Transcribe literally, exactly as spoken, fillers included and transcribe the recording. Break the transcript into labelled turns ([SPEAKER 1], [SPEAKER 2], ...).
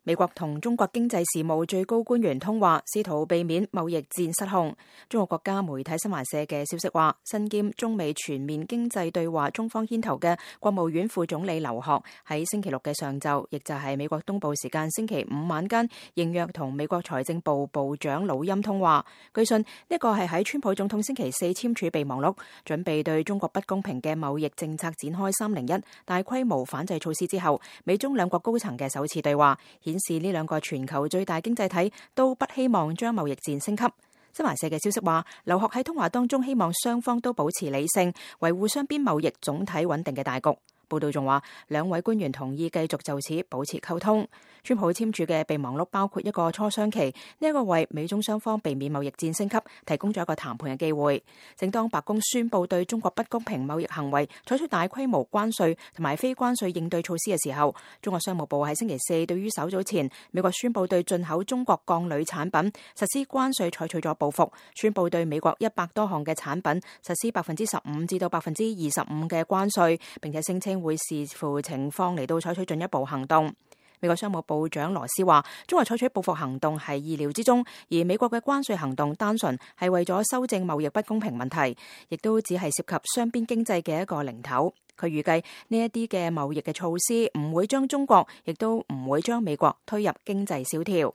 [SPEAKER 1] 美國同中國經濟事務最高官員通話，試圖避免貿易戰失控。中國國家媒體新華社嘅消息話，身兼中美全面經濟對話中方牽頭嘅國務院副總理劉鶴喺星期六嘅上晝，亦就係美國東部時間星期五晚間，應約同美國財政部部長魯欽通話。據信呢個係喺川普總統星期四簽署備忘錄，準備對中國不公平嘅貿易政策展開三零一大規模反制措施之後，美中兩國高層嘅首次對話，顯示呢兩個全球最大經濟體都不希望將貿易戰升級。新華社嘅消息話，劉鶴喺通話當中希望雙方都保持理性，維護雙邊貿易總體穩定嘅大局。報道仲話，兩位官員同意繼續就此保持溝通。川普簽署嘅備忘錄包括一個磋商期，呢一個為美中雙方避免貿易戰升級提供咗一個談判嘅機會。正當白宮宣布對中國不公平貿易行為採取大規模關稅同埋非關稅應對措施嘅時候，中國商務部喺星期四對於稍早前美國宣布對進口中國鋼鋁產品實施關稅採取咗報復，宣布對美國一百多項嘅產品實施百分之十五至到百分之二十五嘅關稅，並且聲稱會視乎情況嚟到採取進一步行動。美國商務部長羅斯話，中國採取報復行動係意料之中，而美國嘅關稅行動單純係為咗修正貿易不公平問題，亦都只係涉及雙邊經濟嘅一個零頭。佢預計呢一啲嘅貿易嘅措施唔會將中國，亦都唔會將美國推入經濟蕭條。